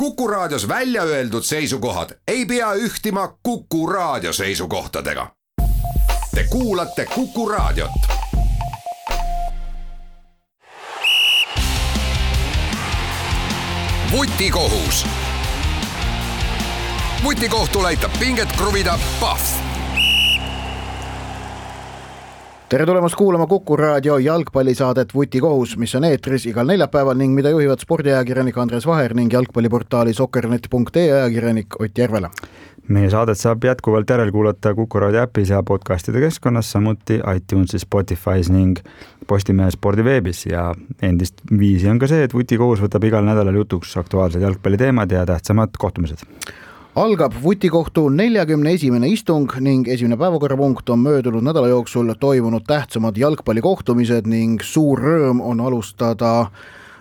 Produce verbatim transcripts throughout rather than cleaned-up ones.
Kuku Raadios välja öeldud seisukohad ei pea ühtima Kuku Raadio seisukohtadega. Te kuulate Kuku Raadiot. Vutikohus. Vutikohtul aitab pinget kruvida Pahv. Tere tulemast kuulama Kuku Raadio jalgpallisaadet Vutikohus, mis on eetris igal neljapäeval ning mida juhivad spordiajakirjanik Andres Vaher ning jalgpalliportaali soccernet punkt ee ajakirjanik Ott Järvela. Meie saadet saab jätkuvalt järel kuulata Kuku Raadio äpis ja podcastide keskkonnas, samuti iTunesis, Spotify's ning Postimehe spordiveebis ja endist viisi on ka see, et Vutikohus võtab igal nädalal jutuks aktuaalsed jalgpalliteemad ja tähtsamad kohtumised. Algab Vutikohtu neljakümne esimene istung ning esimene päevakorrapunkt on möödunud nädala jooksul toimunud tähtsamad jalgpallikohtumised ning suur rõõm on alustada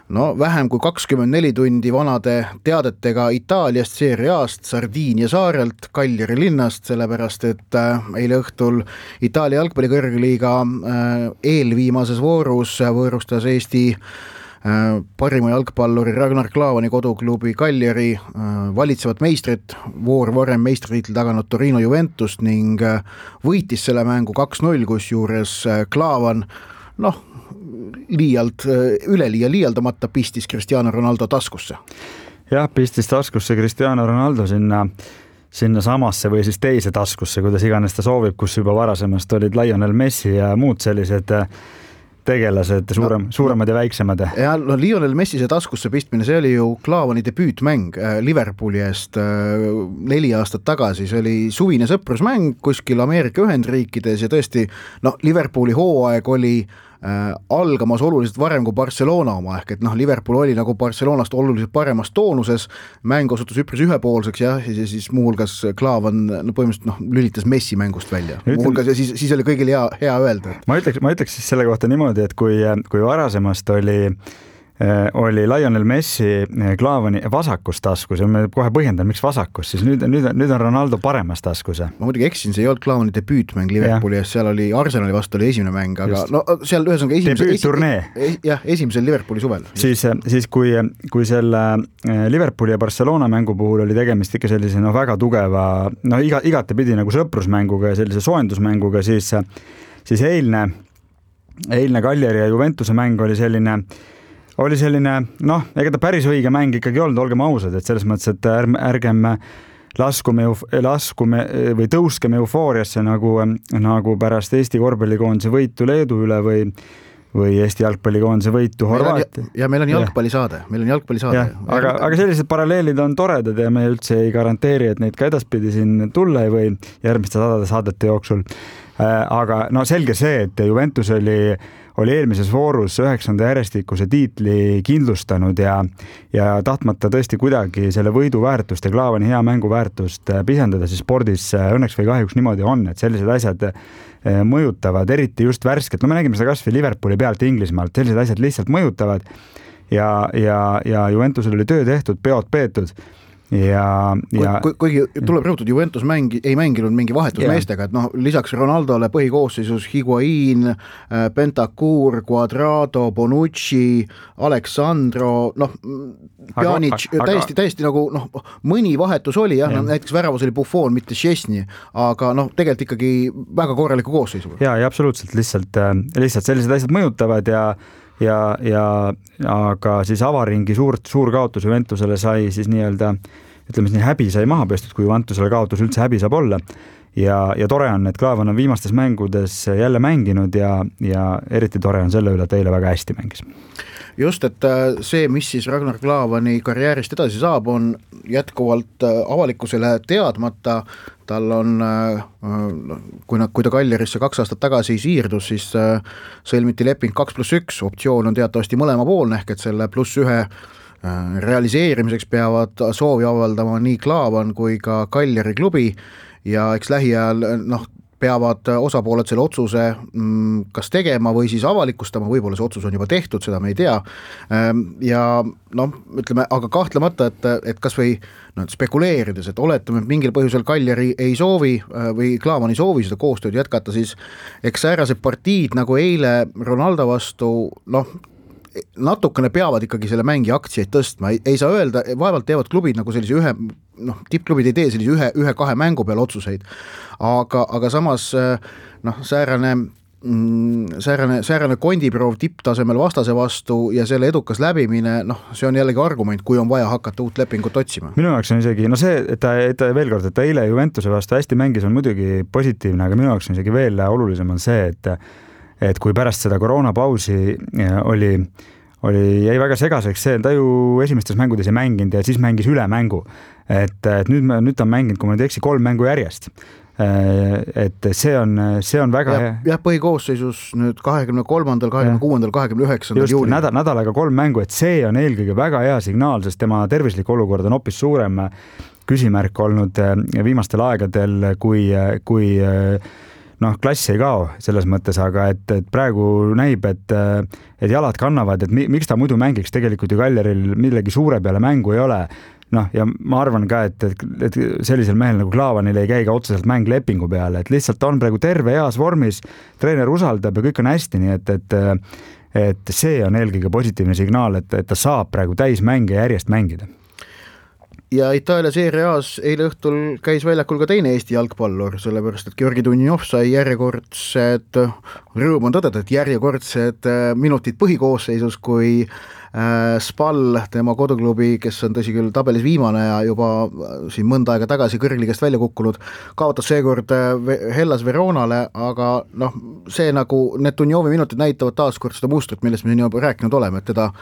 no vähem kui kakskümmend neli tundi vanade teadetega Itaaliast Serie Aast, Sardiinia saarelt, Cagliari linnast, sellepärast et eile õhtul Itaalia jalgpallikõrgliiga eelviimases voorus võõrustas Eesti parima jalgpalluri Ragnar Klavani koduklubi Cagliari valitsevat meistrit, voor varem meistritiitli taganud Torino Juventust ning võitis selle mängu kaks null, kus juures Klavan noh, liialt, üleliia liialdamata pistis Cristiano Ronaldo taskusse. Jah, pistis taskusse Cristiano Ronaldo sinna, sinna samasse või siis teise taskusse, kuidas iganes ta soovib, kus juba varasemast olid Lionel Messi ja muud sellised tegelased, suurem, no, suuremad ja väiksemad. Ja no, Lionel Messi see taskusse pistmine, see oli ju Klavani debüütmäng Liverpooli eest neli aastat tagasi, see oli suvine sõprusmäng kuskil Ameerika Ühendriikides ja tõesti, no Liverpooli hooaeg oli äh, algamas oluliselt varem kui Barcelona oma, ehk et noh, Liverpool oli nagu Barcelonast oluliselt paremas toonuses, mäng osutus üpris ühepoolseks ja, ja siis muuhulgas Klavan no, põhimõtteliselt noh, lülitas Messi mängust välja. Muuhulgas ja siis, siis oli kõigil hea, hea öelda. Et... Ma ütleks, ma ütleks siis selle kohta niimoodi, et kui, kui varasemast oli oli Lionel Messi Klavani vasakus taskus ja me kohe põhjendan, miks vasakus, siis nüüd, nüüd, nüüd on Ronaldo paremas taskus. Ma muidugi eksin, see ei olnud Klavani debüütmäng Liverpooli ja seal oli Arsenali vastu oli esimene mäng, aga Just. no seal ühesõnaga esimesel, esi, jah, esimesel Liverpooli suvel. Siis, siis kui, kui selle Liverpooli ja Barcelona mängu puhul oli tegemist ikka sellise no, väga tugeva, no iga, igatepidi nagu sõprusmänguga ja sellise soojendusmänguga, siis, siis eilne, eilne Cagliari ja Juventuse mäng oli selline oli selline, noh, ega ta päris õige mäng ikkagi olnud, olgem ausad, et selles mõttes, et ärgem laskume, laskume või tõuskeme eufooriasse nagu, nagu pärast Eesti korvpallikoondise võitu Leedu üle või, või Eesti jalgpallikoondise võitu Horvaatia. Ja meil on jalgpallisaade, meil on jalgpallisaade. Aga, aga sellised paralleelid on toredad ja me üldse ei garanteeri, et neid ka edaspidi siin tulla ei või järgmiste sadade saadete jooksul. Aga no selge see, et Juventus oli oli eelmises voorus üheksanda järjestikuse tiitli kindlustanud ja, ja tahtmata tõesti kuidagi selle võidu väärtust ja Klavani hea mängu väärtust pisendada, siis spordis õnneks või kahjuks niimoodi on, et sellised asjad mõjutavad, eriti just värsket. No me nägime seda kasvõi Liverpooli pealt Inglismaalt, sellised asjad lihtsalt mõjutavad ja, ja, ja Juventusel oli töö tehtud, peod peetud. Ja, ja... Kui, kuigi tuleb rõhutud, Juventus mängi, ei mänginud mingi vahetusmeestega, et noh, lisaks Ronaldole põhikoosseisus Higuain, Bentancur, Cuadrado, Bonucci, Alexandro, noh, Pjanic, aga, täiesti, täiesti nagu noh, mõni vahetus oli, jah, ja. näiteks väravas oli Buffon, mitte Szczesny, aga noh, tegelikult ikkagi väga korraliku koosseisu. Ja, ja absoluutselt, lihtsalt, lihtsalt sellised asjad mõjutavad ja Ja, ja aga siis avaringi suurt, suur kaotus Juventusele sai siis nii-öelda, ütleme siis nii häbi sai maha pestud, kui Juventusele kaotus üldse häbi saab olla. Ja, ja tore on, et Klavan on viimastes mängudes jälle mänginud ja, ja eriti tore on selle üle, et eile väga hästi mängis. Just, et see, mis siis Ragnar Klavani karjäärist edasi saab, on jätkuvalt avalikkusele teadmata. Tal on, kui, kui ta Cagliarisse kaks aastat tagasi siirdus, siis sõlmiti leping kaks pluss üks, optsioon on teatavasti mõlema poolne, ehk et selle pluss ühe realiseerimiseks peavad soovi avaldama nii Klavan kui ka Cagliari klubi ja eks lähiajal noh, peavad osapooled selle otsuse kas tegema või siis avalikustama, võib-olla see otsus on juba tehtud, seda me ei tea. Ja noh, ütleme, aga kahtlemata, et, et kas või no, spekuleerides, et oletame, et mingil põhjusel Cagliari ei soovi või Klavan ei soovi seda koostööd jätkata, siis eks säärased partiid nagu eile Ronaldo vastu, noh, natukene peavad ikkagi selle mängi aktsiaid tõstma, ei, ei saa öelda, vaevalt teevad klubid nagu sellise ühe, noh, tippklubid ei tee sellise ühe, ühe-kahe mängu peal otsuseid, aga, aga samas noh, säärane säärane, säärane kondiproov tipptasemel vastase vastu ja selle edukas läbimine, noh, see on jällegi argument, kui on vaja hakata uut lepingut otsima. Minu jaoks on isegi, no see, et ta, et ta veel kord, et ta eile Juventuse vastu hästi mängis, on muidugi positiivne, aga minu jaoks on isegi veel olulisem on see, et et kui pärast seda koroonapausi oli, oli, jäi väga segaseks see, ta ju esimestes mängudes ei mänginud ja siis mängis üle mängu. Et, et nüüd, nüüd ta on mänginud, kui ma nüüd eksi, kolm mängu järjest. Et see on, see on väga ja, jah, põhikoosseisus nüüd kahekümne kolmandal, kahekümne kuuendal, kahekümne üheksandal juulil. Nädal, nädalaga kolm mängu, et see on eelkõige väga hea signaal, sest tema tervislik olukord on hoopis suurem küsimärk olnud viimastel aegadel, kui, kui noh, klass ei kao selles mõttes, aga et, et praegu näib, et, et jalad kannavad, et miks ta muidu mängiks, tegelikult ju Kaljaril millegi suure peale mängu ei ole. Noh, ja ma arvan ka, et, et sellisel mehel nagu Klaavanil ei käi ka otseselt mäng lepingu peale, et lihtsalt on praegu terve heas vormis, treener usaldab ja kõik on hästi, nii et, et, et see on eelkõige positiivne signaal, et, et ta saab praegu täis mänge järjest mängida. Ja Itaalia Serie A's eile õhtul käis väljakul ka teine Eesti jalgpallur, sellepärast, et Georgi Dunjov sai järjekordsed, rõõm on tõdeda, et järjekordsed minutid põhikoosseisus, kui Spal, tema koduklubi, kes on tõsi küll tabelis viimane ja juba siin mõnda aega tagasi kõrgligast välja kukkunud, kaotas seekord Hellas Veronale, aga noh, see nagu need Dunjovi minutid näitavad taaskord seda mustrit, millest me siin juba rääkinud oleme, et teda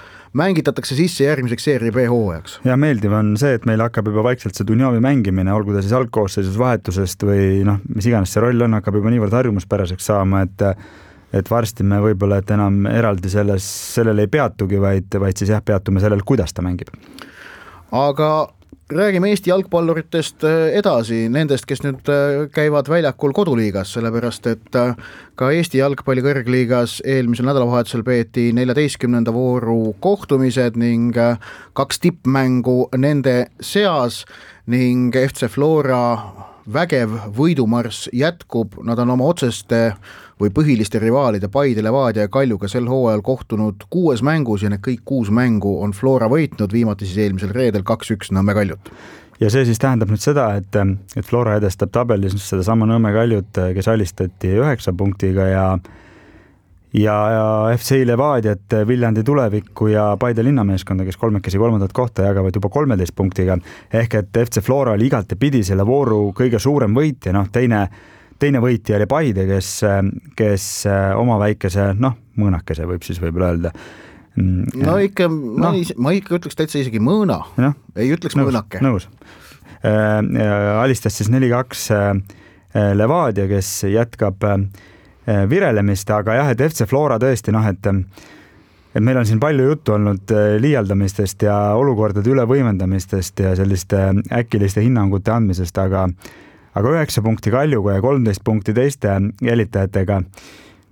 mängitatakse sisse järgmiseks Serie B hooajaks. Ja meeldiv on see, et meil hakkab juba vaikselt see Dunjovi mängimine, olgu ta siis algkoosseisus vahetusest või noh, mis iganes see roll on, hakkab juba niivõrd harjumuspäraseks saama, et et varsti me võib-olla, et enam eraldi selles, sellele ei peatugi, vaid, vaid siis jah, peatume sellel, kuidas ta mängib. Aga räägime Eesti jalgpalluritest edasi, nendest, kes nüüd käivad väljakul koduliigas, sellepärast et ka Eesti jalgpalli kõrgliigas eelmisel nädalavahetusel peeti neljateistkümnenda vooru kohtumised ning kaks tippmängu nende seas ning F C Flora vägev võidumarss jätkub, nad on oma otseste või põhiliste rivaalide Paide, Levadia ja Kaljuga sel hooajal kohtunud kuues mängus ja need kõik kuus mängu on Flora võitnud, viimati siis eelmisel reedel kaks üks Nõmme Kaljut. Ja see siis tähendab nüüd seda, et, et Flora edestab tabelis seda sama Nõmme Kaljut, kes alistati üheksa punktiga ja ja, ja F C Levadiat, Viljandi Tulevikku ja Paide linnameeskonda, kes kolmekesi kolmandat kohta jagavad juba kolmeteist punktiga. Ehk et F C Flora oli igalt pidi selle vooru kõige suurem võitja, noh teine, teine võitja oli Paide, kes, kes oma väikese, noh mõõnakese võib siis võib öelda. No ikka, ma, no. ma ikka ütleks täitsa isegi mõõna, no, ei ütleks nõus, mõõnake. Nõus. Alistas siis neli kaks Levadia, kes jätkab virelemist, aga jah, et F C Flora tõesti, noh, et, et meil on siin palju juttu olnud liialdamistest ja olukordade ülevõimendamistest ja selliste äkiliste hinnangute andmisest, aga, aga üheksa punkti Kaljuga ja kolmteist punkti teiste jälitajatega.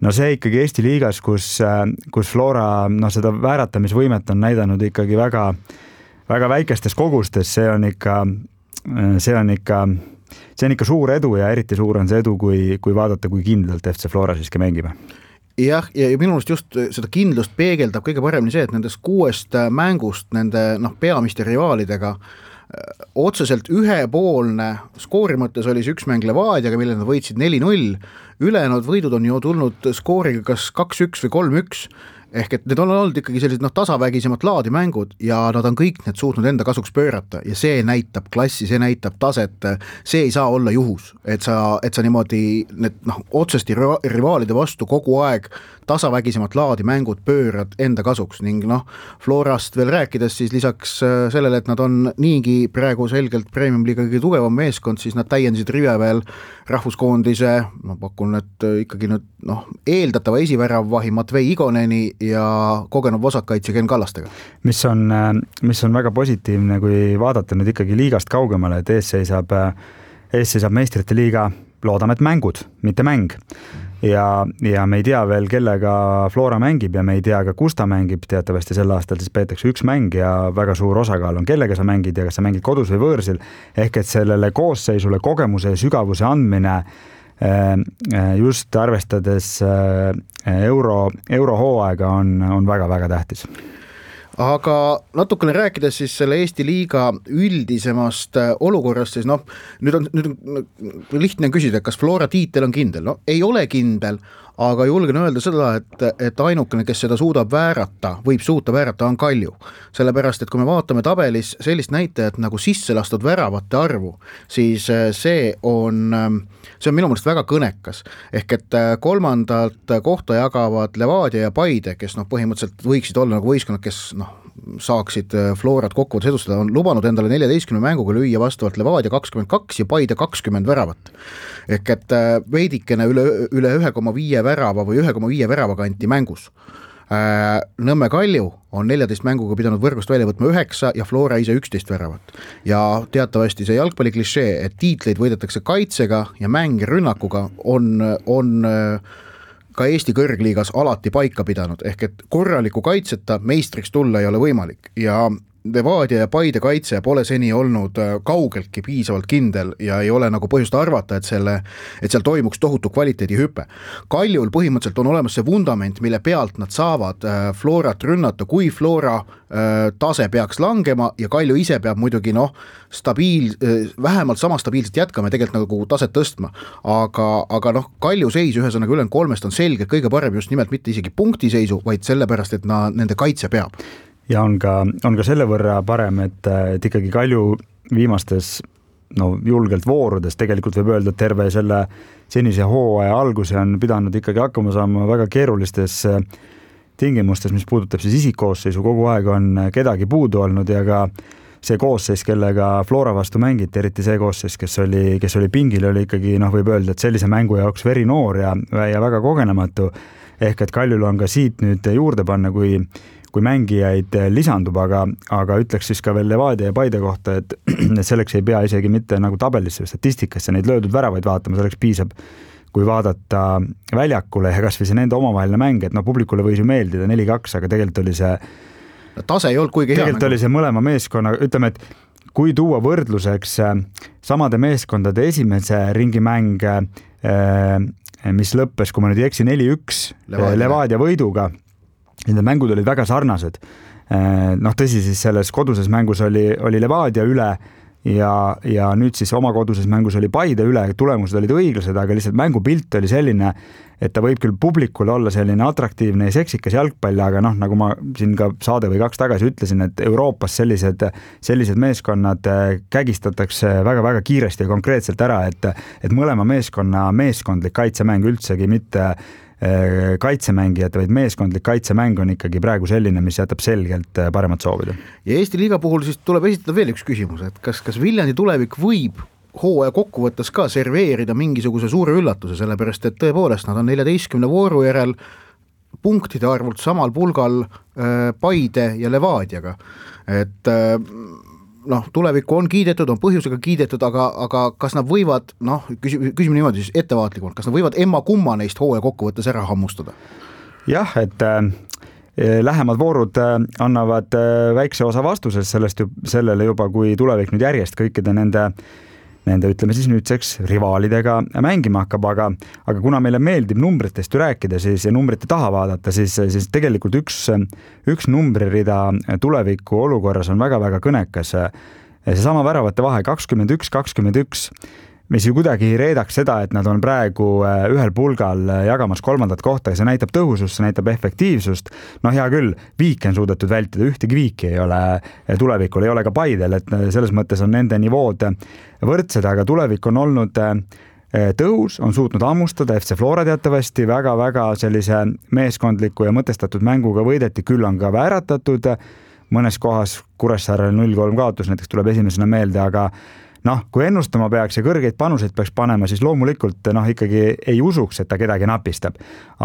No see ikkagi Eesti liigas, kus, kus Flora no, seda vääratamisvõimet on näidanud ikkagi väga, väga väikestes kogustes, see on ikka, see on ikka see on ikka suur edu ja eriti suur on see edu, kui, kui vaadata, kui kindlalt F C Flora siiski mängib. Jah, ja minust just seda kindlust peegeldab kõige paremini see, et nendest kuuest mängust nende noh, peamiste rivaalidega otseselt ühepoolne skoori mõttes oli see üks mäng Levadiaga, mille nad võitsid neli null, ülejäänud võidud on ju tulnud skooriga kas kaks üks või kolm üks, ehk et need on olnud ikkagi sellised noh, tasavägisemad laadi mängud ja nad on kõik need suutnud enda kasuks pöörata ja see näitab klassi, see näitab taset, see ei saa olla juhus, et sa, et sa niimoodi need noh, otsesti rivaalide vastu kogu aeg tasavägisemat laadi mängud pöörad enda kasuks ning noh, Florast veel rääkides siis lisaks sellele, et nad on niigi praegu selgelt Premium-liiga kõige tugevam meeskond, siis nad täiendasid rive veel rahvuskoondise, ma pakun, et ikkagi nüüd noh, eeldatava esiväravvahi Matvei Igoneni ja kogenud vasakkaitse Ken Kallastega. Mis on, mis on väga positiivne, kui vaadata nüüd ikkagi liigast kaugemale, et ees seisab, ees seisab meistrite liiga, loodame, et mängud, mitte mäng. Ja, ja me ei tea veel, kellega Flora mängib ja me ei tea ka, kus ta mängib, teatavasti sel aastal siis peetakse üks mäng ja väga suur osakaal on, kellega sa mängid ja kas sa mängid kodus või võõrsil, ehk et sellele koosseisule kogemuse ja sügavuse andmine just arvestades euro, eurohooaega on, on väga-väga tähtis. Aga natukene rääkides siis selle Eesti liiga üldisemast olukorrast, siis noh, nüüd on, nüüd on lihtne küsida, kas Flora tiitel on kindel? No ei ole kindel, aga julgen öelda seda, et, et ainukene, kes seda suudab väärata, võib suuta väärata, on Kalju. Sellepärast, et kui me vaatame tabelis sellist näitajat nagu sisse lastud väravate arvu, siis see on, see on minu mõelest väga kõnekas. Ehk et kolmandalt kohta jagavad Levadia ja Paide, kes noh, põhimõtteliselt võiksid olla nagu võistkonnad, kes noh, saaksid Florat kokkuvõttes edustada, on lubanud endale neljateistkümne mänguga lüüa vastavalt Levadia kakskümmend kaks ja Paide kakskümmend väravat. Ehk et veidikene üle, üle ühe koma viie värava või ühe koma viie värava kanti mängus. Nõmme Kalju on neljateist mänguga pidanud võrgust välja võtma üheksa ja Flora ise üksteist väravat. Ja teatavasti see jalgpalli klišee, et tiitleid võidetakse kaitsega ja mäng rünnakuga on, on ka Eesti kõrgliigas alati paika pidanud, ehk et korraliku kaitseta meistriks tulla ei ole võimalik ja Levadia ja Paide kaitse pole seni olnud kaugeltki piisavalt kindel ja ei ole nagu põhjust arvata, et, selle, et seal toimuks tohutu kvaliteedi hüpe. Kaljul põhimõtteliselt on olemas see vundament, mille pealt nad saavad Florat rünnata, kui Flora tase peaks langema ja Kalju ise peab muidugi noh, stabiil, vähemalt sama stabiilselt jätkama ja tegelikult nagu taset tõstma. Aga, aga noh, Kalju seis ühesõnaga üle kolmest on selge kõige parem just nimelt mitte isegi punktiseisu, vaid sellepärast, et na, nende kaitse peab. Ja on ka, on ka selle võrra parem, et, et ikkagi Kalju viimastes no, julgelt voorudes tegelikult võib öelda, et terve selle senise hooaja alguse on pidanud ikkagi hakkama saama väga keerulistes tingimustes, mis puudutab siis isikkoosseisu, kogu aeg on kedagi puudu olnud ja ka see koosseis, kellega Flora vastu mängiti, eriti see koosseis, kes oli, kes oli pingil, oli ikkagi, noh, võib öelda, et sellise mängu jaoks veri noor ja, ja väga kogenematu. Ehk et Kaljul on ka siit nüüd juurde panna, kui kui mängijaid lisandub, aga, aga ütleks siis ka veel Levadia ja Paide kohta, et selleks ei pea isegi mitte nagu tabelisse või statistikasse neid löödud väravaid vaatama, selleks piisab, kui vaadata väljakule ja kas või see nende omavaheline mäng, et no publikule võis ju meeldida neli kaks, aga tegelikult oli see tase ei olnud kuigi hea. Tegelikult oli see mõlema meeskonna, ütleme, et kui tuua võrdluseks samade meeskondade esimese ringi mäng, mis lõppes, kui ma nüüd ei eksi, neli üks Levadia, Levadia võiduga, nende mängud olid väga sarnased. Noh, tõsi siis selles koduses mängus oli, oli Levadia üle ja, ja nüüd siis oma koduses mängus oli Paide üle, tulemused olid õiglased, aga lihtsalt mängupilt oli selline, et ta võib küll publikul olla selline atraktiivne ja seksikas jalgpall, aga noh, nagu ma siin ka saade või kaks tagasi ütlesin, et Euroopas sellised, sellised meeskonnad kägistatakse väga-väga kiiresti ja konkreetselt ära, et, et mõlema meeskonna meeskondlik kaitsemäng üldsegi mitte kaitsemängijate, vaid meeskondlik kaitsemäng on ikkagi praegu selline, mis jätab selgelt paremat soovida. Ja Eesti liiga puhul siis tuleb esitada veel üks küsimus, et kas, kas Viljandi tulevik võib hooaja kokkuvõttes ka serveerida mingisuguse suure üllatuse, sellepärast et tõepoolest nad on neljateistkümne vooru järel punktide arvult samal pulgal Paide ja Levadiaga. Et noh, tulevikku on kiidetud, on põhjusega kiidetud, aga, aga kas nad võivad, noh, küsime, küsime niimoodi siis ettevaatlikult, kas nad võivad emma kumma neist hooaja kokkuvõttes ära hammustada? Jah, et äh, lähemad voorud äh, annavad äh, väikse osa vastusest sellest ju, sellele juba, kui tulevik nüüd järjest kõikide nende nende, ütleme siis nüüdseks rivaalidega mängima hakkab, aga, aga kuna meile meeldib numbritest ju rääkida siis ja numbrite taha vaadata, siis, siis tegelikult üks, üks numbririda tuleviku olukorras on väga-väga kõnekas. Seesama väravate vahe kakskümmend üks kakskümmend üks, mis ju kuidagi reedaks seda, et nad on praegu ühel pulgal jagamas kolmandat kohta ja see näitab tõhusust, see näitab efektiivsust. No hea küll, viiki on suudetud vältida, ühtegi viiki ei ole tulevikul, ei ole ka Paidel, et selles mõttes on nende nivood võrdsed, aga tulevik on olnud tõhus, on suutnud ammustada, F C Flora teatavasti väga-väga sellise meeskondliku ja mõtestatud mänguga võideti, küll on ka vääratatud, mõnes kohas Kuressaarel null kolm kaotus näiteks tuleb esimesena meelde, aga noh, kui ennustama peaks ja kõrgeid panuseid peaks panema, siis loomulikult noh, ikkagi ei usuks, et ta kedagi napistab.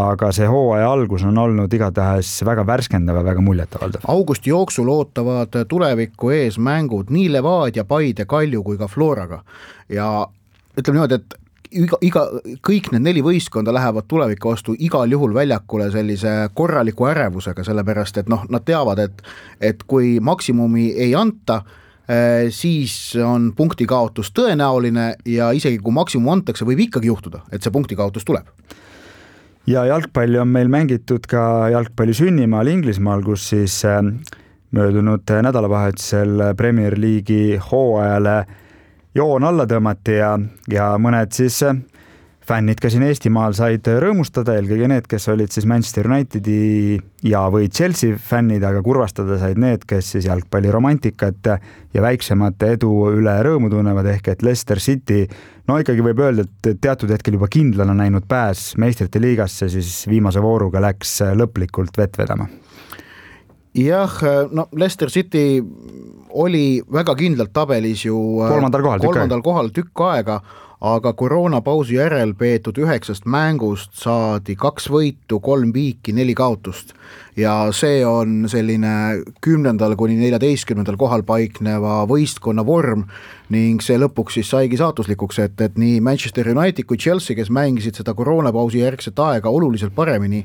Aga see hooaja algus on olnud igatahes väga värskendav ja väga muljetavaldav. Augusti jooksul ootavad tuleviku ees mängud nii Levadia, Paide, Kalju kui ka Floraga. Ja ütleme niimoodi, et iga, iga, kõik need neli võistkonda lähevad tuleviku vastu igal juhul väljakule sellise korraliku ärevusega, sellepärast et noh, nad teavad, et, et kui maksimumi ei anta, siis on punkti kaotus tõenäoline ja isegi kui maksimum antakse, võib ikkagi juhtuda, et see punkti kaotus tuleb. Ja jalgpalli on meil mängitud ka jalgpalli sünnimaal Inglismaal, kus siis möödunud nädalavahetusel Premier League'i hooajale joon alla tõmmati ja, ja mõned siis fännid ka siin Eestimaal said rõõmustada, eelkõige need, kes olid siis Manchester Unitedi ja või Chelsea fännid, aga kurvastada said need, kes siis jalgpalliromantikat ja väiksemat edu üle rõõmu tunnevad, ehk et Leicester City, no ikkagi võib öelda, et teatud hetkel juba kindlana näinud pääs meistrite liigasse, siis viimase vooruga läks lõplikult vett vedama. Jah, no Leicester City oli väga kindlalt tabelis ju kolmandal kohal, kolmandal kohal tükk aega, aga koroonapausi järel peetud üheksast mängust saadi kaks võitu, kolm viiki, neli kaotust ja see on selline kümnendal kuni neljateistkümnendal kohal paikneva võistkonna vorm ning see lõpuks siis saigi saatuslikuks, et, et nii Manchester United kui Chelsea, kes mängisid seda koroonapausi järgset aega oluliselt paremini,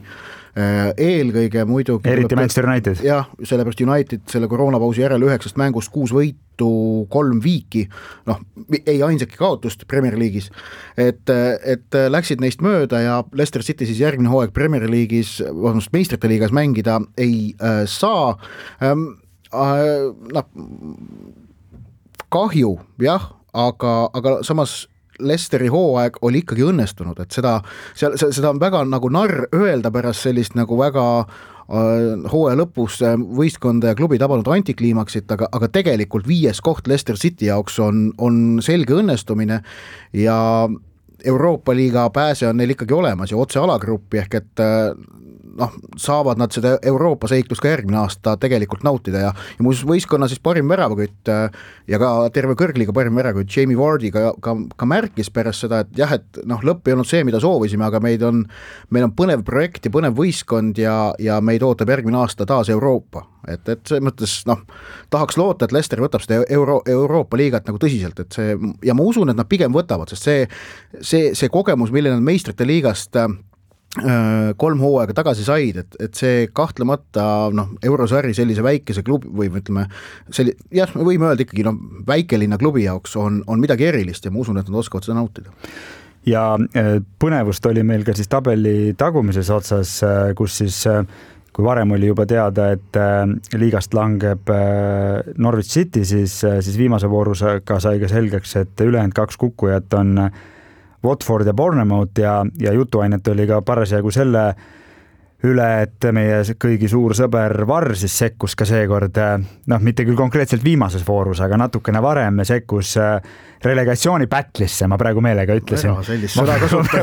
eelkõige muidugi eriti Manchester United. Jah, sellepärast United selle koroonapausi järel üheksast mängust kuus võitu, kolm viiki, noh, ei ainsaki kaotust Premier League'is, et, et läksid neist mööda ja Leicester City siis järgmine hooaeg Premier League'is, vahest meistrite liigas mängida ei äh, saa ähm, äh, noh, kahju, jah, aga, aga samas Leicesteri hooaeg oli ikkagi õnnestunud, et seda, seda on väga nagu narr öelda pärast sellist nagu väga äh, hooaja lõpus võistkonda ja klubi tabanud antikliimaksit, aga, aga tegelikult viies koht Leicester City jaoks on, on selge õnnestumine ja Euroopa liiga pääse on neil ikkagi olemas ja otse alagruppi, ehk et noh, saavad nad seda Euroopa seiklust ka järgmine aasta tegelikult nautida ja, ja muuseas võistkonna siis parim väravakütt ja ka terve kõrgliga parim väravakütt Jamie Vardy ka, ka, ka märkis pärast seda, et jah, et noh, lõpp ei olnud see, mida soovisime, aga meid on, meil on põnev projekt ja põnev võistkond ja, ja meid ootab järgmine aasta taas Euroopa. Et, et see mõttes, noh, tahaks loota, et Leicester võtab seda Euro, Euroopa liigat nagu tõsiselt, et see, ja ma usun, et nad pigem võtavad, sest see, see, see kogemus, mille nad meistrite liigast kolm hooaega tagasi said, et, et see kahtlemata noh, eurosari sellise väikese klubi või ütleme, selli, jah, me võime öelda ikkagi noh, väikelinna klubi jaoks on, on midagi erilist ja ma usun, et nad oskavad seda nautida. Ja põnevust oli meil ka siis tabeli tagumises otsas, kus siis kui varem oli juba teada, et liigast langeb Norwich City, siis, siis viimase voorusega sai ka selgeks, et ülejäänud kaks kukkujat on Watford ja Bournemouth ja, ja jutuainet oli ka parasjagu selle üle, et meie kõigi suur sõber Varr siis sekkus ka seekord, noh, mitte küll konkreetselt viimases voorus, aga natukene varem sekkus relegatsiooni pätlisse, ma praegu meelega ütlesin. Ma,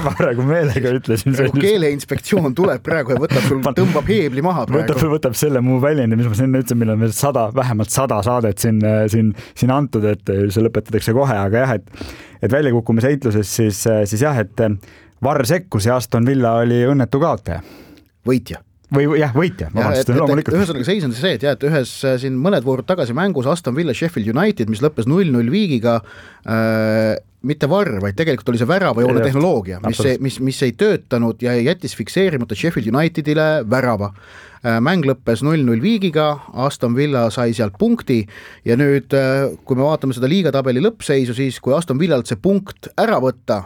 ma praegu meelega ütlesin. Keeleinspektsioon tuleb praegu ja võtab sul, tõmbab heebli maha praegu. Võtab, võtab selle muu väljendi, mis ma siin ütlesin, millal meil sada, vähemalt sada saadet siin, siin, siin antud, et see lõpetatakse kohe, aga jah, et, et väljakukkumise heitluses siis, siis jah, et Varr sekkus ja Aston Villa oli õnnetu kaotaja. Võitja. Või jah, võitja. Ühesõnaga seis on see, et, jah, et ühes siin mõned voorud tagasi mängus Aston Villa Sheffield United, mis lõppes null null viigiga, äh, mitte Varr, vaid tegelikult oli see väravajoone tehnoloogia, mis, ei, mis, mis ei töötanud ja jättis fikseerimata Sheffield Unitedile värava. Mäng lõppes null null viigiga, Aston Villa sai sealt punkti ja nüüd, kui me vaatame seda liigatabeli lõppseisu, siis kui Aston Villalt see punkt ära võtta,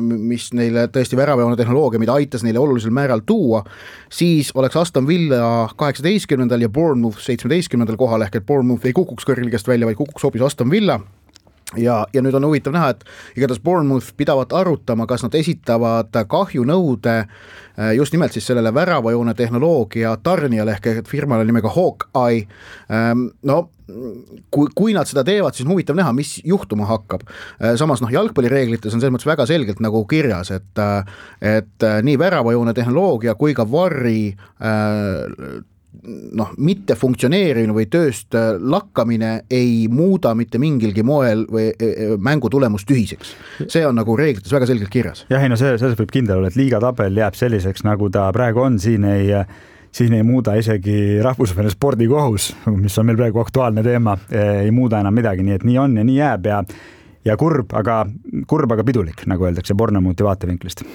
mis neile tõesti väravajoone tehnoloogia, mida aitas neile olulisel määral tuua, siis oleks Aston Villa kaheksateistkümnendal ja Bournemouth seitsmeteistkümnendal kohal, ehk et Bournemouth ei kukuks kõrligast välja, vaid kukuks hoopis Aston Villa. Ja, ja nüüd on huvitav näha, et igatahes Bournemouth pidavat arutama, kas nad esitavad kahjunõude just nimelt siis sellele väravajoone tehnoloogia tarnijale ehk et firmale nimega Hawkeye. No, kui, kui nad seda teevad, siis on huvitav näha, mis juhtuma hakkab. Samas noh, jalgpallireeglites on selles mõttes väga selgelt nagu kirjas, et, et nii väravajoone tehnoloogia kui ka Varri äh, noh, mitte funktsioneerimine või tööst lakkamine ei muuda mitte mingilgi moel või mängu tulemus tühiseks. See on nagu reeglites väga selgelt kirjas. Jah, ei no see, see võib kindel olla, et liigatabel jääb selliseks, nagu ta praegu on, siin ei, siin ei muuda isegi rahvusvaheline spordikohus, mis on meil praegu aktuaalne teema, ei muuda enam midagi, nii et nii on ja nii jääb ja, ja kurb, aga, kurb, aga pidulik, nagu öeldakse Bournemouthi vaatevinklist.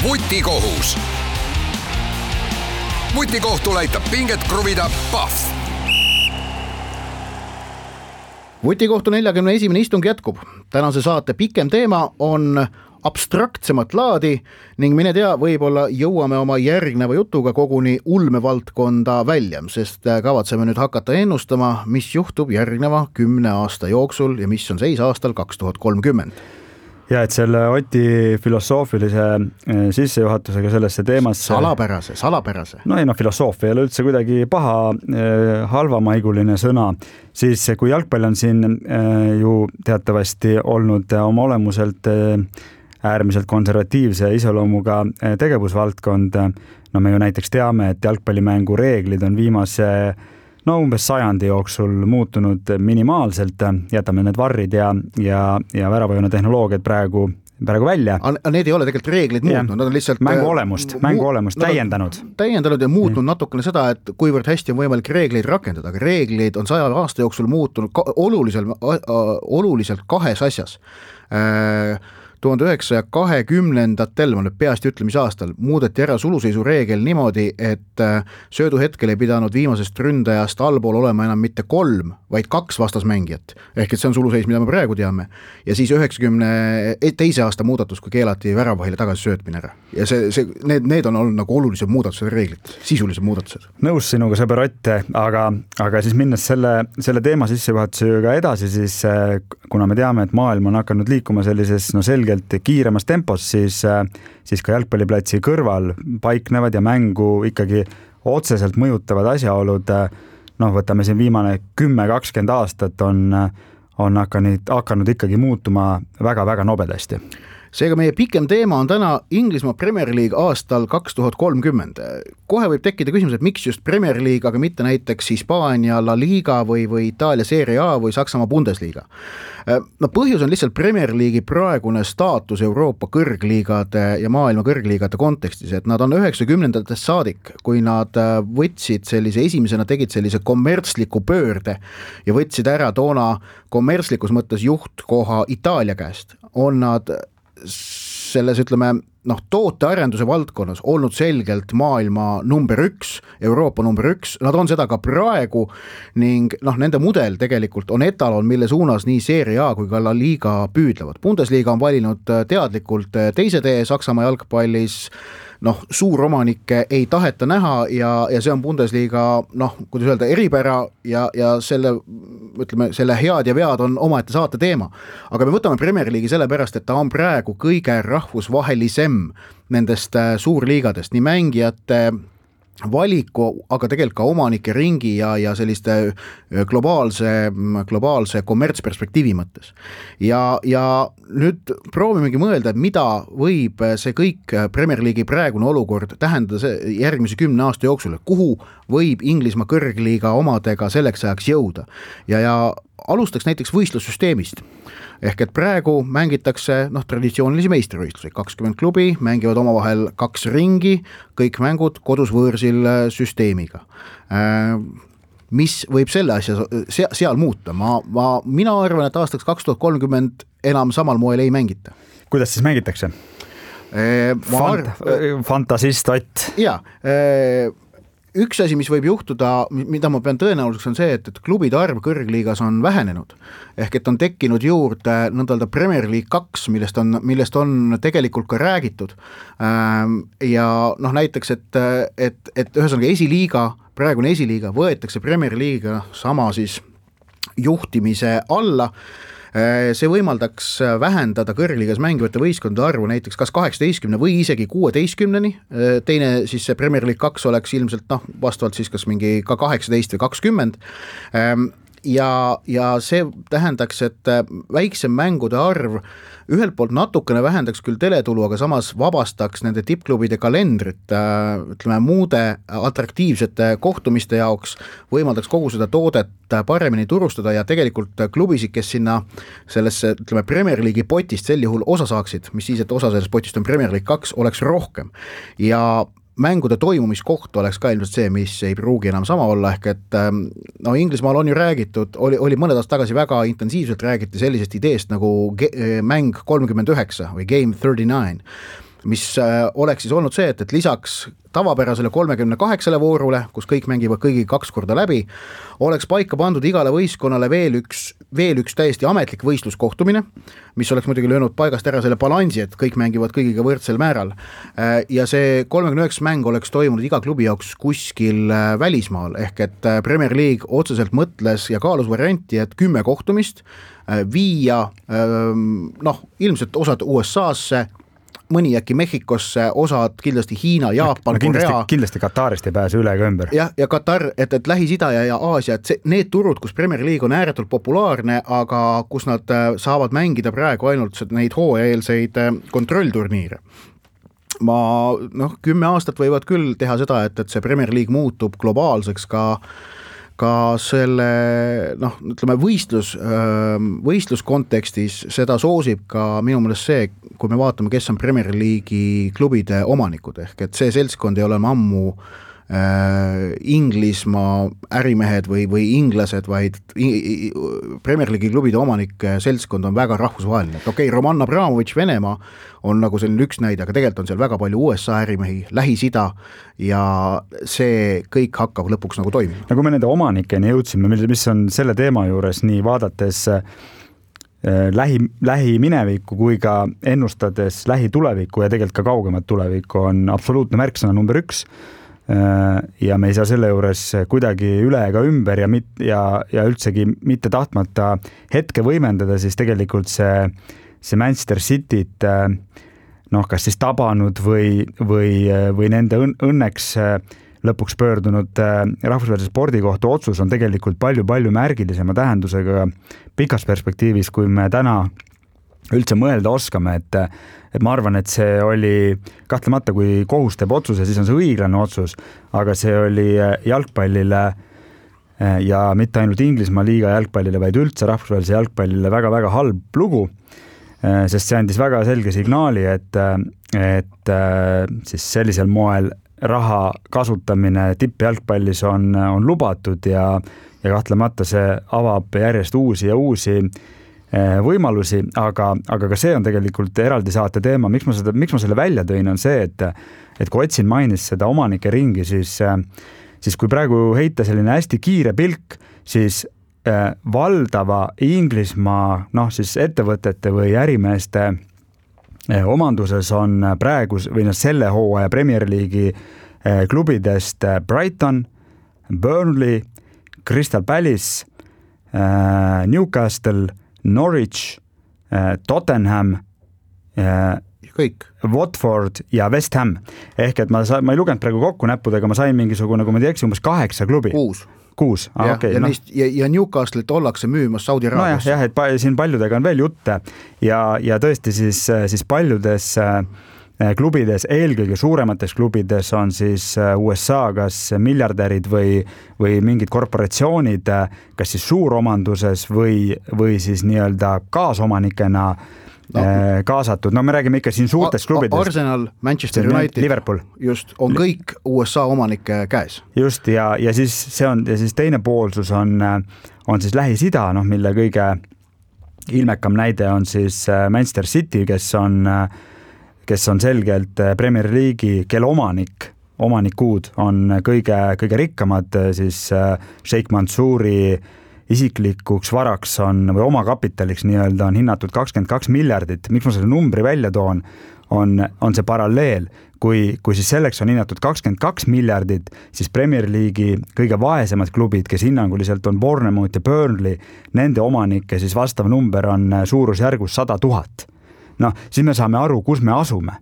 Vutikohus. vutikohtul aitab pinget kruvida Pahv. vutikohtu neljakümne esimene istung jätkub. Tänase saate pikem teema on abstraktsemat laadi ning mine tea, võib-olla jõuame oma järgneva jutuga koguni ulmevaldkonda välja, sest kavatseme nüüd hakata ennustama, mis juhtub järgneva kümne aasta jooksul ja mis on seis aastal kaks tuhat kolmkümmend. Ja et selle Oti filosoofilise sissejuhatusega sellesse teemasse... Salapärase, salapärase. No ei, no filosoofia ei ole üldse kuidagi paha, halvamaiguline sõna. Siis kui jalgpall on siin ju teatavasti olnud oma olemuselt äärmiselt konservatiivse iseloomuga tegevusvaldkond, no me ju näiteks teame, et jalgpallimängu reeglid on viimase no umbes sajandi jooksul muutunud minimaalselt, jätame need varrid ja, ja, ja väravajuna tehnoloogiad praegu, praegu välja. Need ei ole tegelikult reeglid muutnud, nad on lihtsalt mängu olemust, mängu olemust täiendanud. Täiendanud ja muutnud mm. natukene seda, et kuivõrd hästi on võimalik reegleid rakendada, aga reeglid on saja aasta jooksul muutunud ka, oluliselt, oluliselt kahes asjas. tuhande üheksasaja kahekümnendatel, ma nüüd peast ütlemise aastal, muudeti ära suluseisu reegel niimoodi, et söödu hetkel ei pidanud viimasest ründajast allpool olema enam mitte kolm, vaid kaks vastasmängijat. Ehk et see on suluseis, mida me praegu teame. Ja siis üheksakümne teise aasta muudatus, kui keelati väravahile tagasi söötmine ära. Ja see, see, need, need on olnud nagu olulised muudatused reeglid, sisulised muudatused. Nõus sinuga, sõber Ott, aga, aga siis minnes selle, selle teema sissejuhatusega edasi, siis kuna me teame, et maailm on hakanud liikuma sellises no selge kiiremas tempos, siis, siis ka jalgpalliplatsi kõrval paiknevad ja mängu ikkagi otseselt mõjutavad asjaolud. Noh, võtame siin viimane kümme kakskümmend aastat on, on hakanud, hakanud ikkagi muutuma väga-väga nobedasti. Seega meie pikem teema on täna Inglismaa Premier League aastal kaks tuhat kolmkümmend. Kohe võib tekkida küsimus, et miks just Premier League, aga mitte näiteks Hispaania La Liga või, või Itaalia Serie A või Saksamaa Bundesliga. No põhjus on lihtsalt Premier League'i praegune staatus Euroopa kõrgliigade ja maailma kõrgliigade kontekstis, et nad on üheksakümnendatest saadik, kui nad võtsid sellise esimesena, tegid sellise kommertsliku pöörde ja võtsid ära toona kommertslikus mõttes juhtkoha Itaalia käest. On nad selles, ütleme, noh, tootearenduse valdkonnas olnud selgelt maailma number üks, Euroopa number üks, nad on seda ka praegu ning noh, nende mudel tegelikult on etalon, mille suunas nii Serie A kui ka La Liga püüdlevad. Bundesliga on valinud teadlikult teise tee Saksamaa jalgpallis, noh, suuromanikke ei taheta näha ja, ja see on Bundesliga, noh, kuidas öelda, eripära ja, ja selle, ütleme, selle head ja vead on omaette saate teema. Aga me võtame Premier League'i sellepärast, et ta on praegu kõige rahvusvahelisem nendest suurliigadest, nii mängijate valiku, aga tegelikult ka omanike ringi ja, ja selliste globaalse, globaalse kommertsperspektiivi mõttes. Ja, ja nüüd proovimegi mõelda, et mida võib see kõik Premier League'i praegune olukord tähendada järgmise kümne aasta jooksul, kuhu võib Inglismaa kõrgliiga omadega selleks ajaks jõuda. Ja, ja alustaks näiteks võistlussüsteemist. Ehk et praegu mängitakse noh, traditsioonilisi meistrivõistlusi, kakskümmend klubi mängivad omavahel kaks ringi, kõik mängud kodus võõrsil süsteemiga. Mis võib selle asja seal muuta? Ma, ma, mina arvan, et aastaks kaks tuhat kolmkümmend enam samal moel ei mängita. Kuidas siis mängitakse? Fant, arv... Fantasist Ott. Jaa, üks asi, mis võib juhtuda, mida ma pean tõenäoliseks, on see, et, et klubide arv kõrgliigas on vähenenud. Ehk et on tekkinud juurde nõndalda Premier League kaks, millest on, millest on tegelikult ka räägitud. Ja noh, näiteks, et, et, et ühesõnaga esiliiga, praegune esiliiga võetakse Premier League'iga sama siis juhtimise alla. See võimaldaks vähendada kõrgliigas mängivate võistkondade arvu näiteks kas kaheksateistkümne või isegi kuueteistkümneni. Teine siis see Premier League kaks oleks ilmselt noh, vastavalt siis kas mingi ka kaheksateist või kakskümmend. Ja, ja see tähendaks, et väiksem mängude arv ühelt poolt natukene vähendaks küll teletulu, aga samas vabastaks nende tippklubide kalendrit, ütleme, muude atraktiivsete kohtumiste jaoks, võimaldaks kogu seda toodet paremini turustada ja tegelikult klubisid, kes sinna sellesse, ütleme, Premier League'i potist sel juhul osa saaksid, mis siis, et osa sellest potist on Premier League kaks, oleks rohkem. Ja mängude toimumiskoht oleks ka ilmselt see, mis ei pruugi enam sama olla, ehk et no Inglismaal on ju räägitud, oli, oli mõned aastad tagasi väga intensiivselt räägiti sellisest ideest nagu ge- mäng kolmkümmend üheksa või Game kolmkümmend üheksa, mis oleks siis olnud see, et, et lisaks tavapärasele kolmekümne kaheksale voorule, kus kõik mängivad kõigi kaks korda läbi, oleks paika pandud igale võistkonnale veel üks, veel üks täiesti ametlik võistluskohtumine, mis oleks muidugi löönud paigast ära selle balansi, et kõik mängivad kõigiga võrdsel määral. Ja see kolmekümne üheksa mäng oleks toimunud iga klubi jaoks kuskil välismaal, ehk et Premier League otseselt mõtles ja kaalus varianti, et kümme kohtumist viia, noh, ilmselt osad U S A-sse, mõni äkki Mehhikosse, osad kindlasti Hiina, Jaapan, no, kindlasti, Korea. Kindlasti Katarist ei pääse üle ega ümber. Ja, ja Katar, et, et Lähis-Ida ja, ja Aasia, et see, need turud, kus Premier League on ääretult populaarne, aga kus nad saavad mängida praegu ainult neid hooajaeelseid kontrollturniire. Ma, noh, kümme aastat võivad küll teha seda, et, et see Premier League muutub globaalseks ka ka selle, noh, ütleme võistlus, võistlus kontekstis seda soosib ka minu meelest see, kui me vaatame, kes on Premier League'i klubide omanikud, ehk et see seltskond ei ole ammu äh, Inglismaa ärimehed või, või inglased, vaid Premier League'i klubide omanike seltskond on väga rahvusvaheline. Okei, okay, Roman Abramovich Venemaa on nagu selline üks näide, aga tegelikult on seal väga palju U S A ärimehi, Lähis-Ida ja see kõik hakkab lõpuks nagu toimima. Ja kui me nende omanikeni jõudsime, mis on selle teema juures nii vaadates äh, lähi, lähi minevikku kui ka ennustades lähi tulevikku ja tegelikult ka kaugemat tulevikku on absoluutne märksõna number üks äh, ja me ei saa selle juures kuidagi üle ega ümber ja, mit, ja, ja üldsegi mitte tahtmata hetke võimendada, siis tegelikult see see Manchester Cityt noh, kas siis tabanud või, või, või nende õnneks lõpuks pöördunud rahvusvahelise spordikohtu otsus on tegelikult palju-palju märgilisema tähendusega pikas perspektiivis, kui me täna üldse mõelda oskame, et, et ma arvan, et see oli kahtlemata, kui kohus teeb otsuse, siis on see õiglane otsus, aga see oli jalgpallile ja mitte ainult Inglismaa liiga jalgpallile, vaid üldse rahvusvahelise jalgpallile väga-väga halb lugu, sest see andis väga selge signaali, et, et siis sellisel moel raha kasutamine tippjalgpallis on, on lubatud ja, ja kahtlemata see avab järjest uusi ja uusi võimalusi, aga, aga ka see on tegelikult eraldi saate teema. Miks ma, seda, miks ma selle välja tõin, on see, et, et kui Otsin mainis seda omanike ringi, siis, siis kui praegu heita selline hästi kiire pilk, siis valdava Inglismaa noh, siis ettevõtete või ärimeeste omanduses on praegu või no, selle hooaja Premier League'i klubidest Brighton, Burnley, Crystal Palace, Newcastle, Norwich, Tottenham, kõik. Watford ja West Ham. Ehk et ma, sa, ma ei lugenud praegu kokku näppudega, ma sain mingisugune, kui ma teeks, umbes kaheksa klubi. Kuus. Kuus, ah, ja, okay, ja, no. neist, ja, ja Newcastle'it ollakse müümas Saudi Araabias. No jah, jah, et pa, siin paljudega on veel jutte ja, ja tõesti siis, siis paljudes klubides, eelkõige suuremates klubides on siis U S A kas miljardärid või, või mingid korporatsioonid, kas siis suuromanduses või, või siis nii-öelda kaasomanikena no. kaasatud. No me räägime ikka siin suurtest klubidest. Arsenal, Manchester United, Liverpool. Just, on kõik U S A omanike käes. Just, ja, ja siis see on, ja siis teine poolsus on, on siis Lähis-Ida, noh, mille kõige ilmekam näide on siis Manchester City, kes on, kes on selgelt Premier League'i, kelle omanik, omanikud on kõige, kõige rikkamad, siis Sheikh Mansouri isiklikuks varaks on, või omakapitaliks nii-öelda on hinnatud kakskümmend kaks miljardit. Miks ma selle numbri välja toon, on, on see paralleel. Kui, kui siis selleks on hinnatud kakskümmend kaks miljardit, siis Premier League'i kõige vaesemad klubid, kes hinnanguliselt on Bournemouth ja Burnley, nende omanike siis vastav number on suurusjärgus sada tuhat. Noh, siis me saame aru, kus me asume.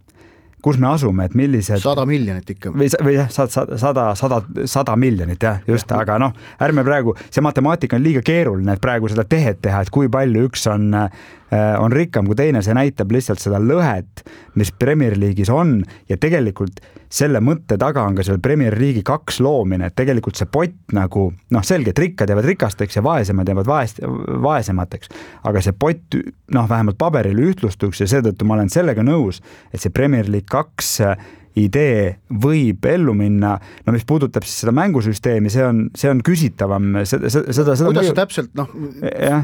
Kus me asume, et millised... Sada miljonit ikka. Või, või jah, sada, sada, sada, sada miljonit, jah, just, ja. Aga noh, ärme praegu, see matemaatika on liiga keeruline, et praegu seda tehet teha, et kui palju üks on, on rikkam kui teine, see näitab lihtsalt seda lõhet, mis Premier League'is on ja tegelikult selle mõtte taga on ka seal Premier League'i kaks loomine, et tegelikult see pott nagu, noh selge, et rikkad jäävad rikasteks ja vaesemad jäävad vaest, vaesemateks, aga see pott, noh vähemalt paberil ühtlustuks ja seetõttu ma olen sellega nõus, et see Premier League kaks idee võib ellu minna, no mis puudutab siis seda mängusüsteemi, see on, see on küsitavam. Seda, seda, seda kuidas mõju... see täpselt noh,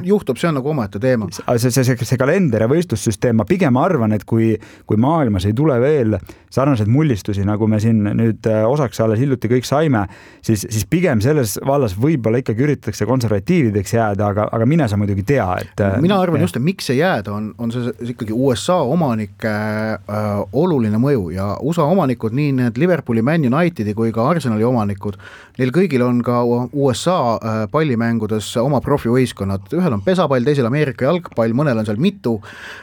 juhtub, see on nagu omaette teema. See, see, see, see kalender ja võistlussüsteem, ma pigem arvan, et kui, kui maailmas ei tule veel sarnaseid mullistusi, nagu me siin nüüd osaks alles hiljuti kõik saime, siis, siis pigem selles vallas võib-olla ikkagi üritatakse konservatiivideks jääda, aga, aga mine sa muidugi tea, et mina arvan just, et miks see jääda on, on see ikkagi U S A omanike äh, oluline mõju ja U S A omanikud, nii need Liverpooli, Man Unitedi kui ka Arsenali omanikud, neil kõigil on ka U S A äh, pallimängudes oma profivõistkonnad, ühel on pesapall, teisel Ameerika jalgpall, mõnel on seal mitu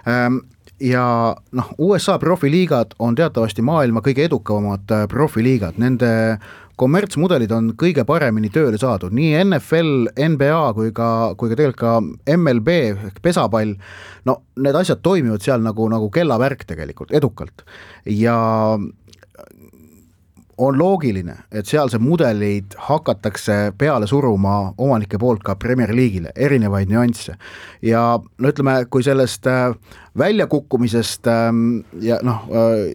ähm, ja noh, U S A profiliigad on teatavasti maailma kõige edukamad äh, profiliigad, nende kommertsmudelid on kõige paremini tööle saadud, nii N F L, N B A kui ka, kui ka tegelikult ka M L B ehk pesapall, no need asjad toimivad seal nagu, nagu kellavärk tegelikult, edukalt ja on loogiline, et sealse mudelid hakatakse peale suruma omanike poolt ka Premier League'ile, erinevaid nüansse. Ja no ütleme, kui sellest väljakukkumisest ja, noh,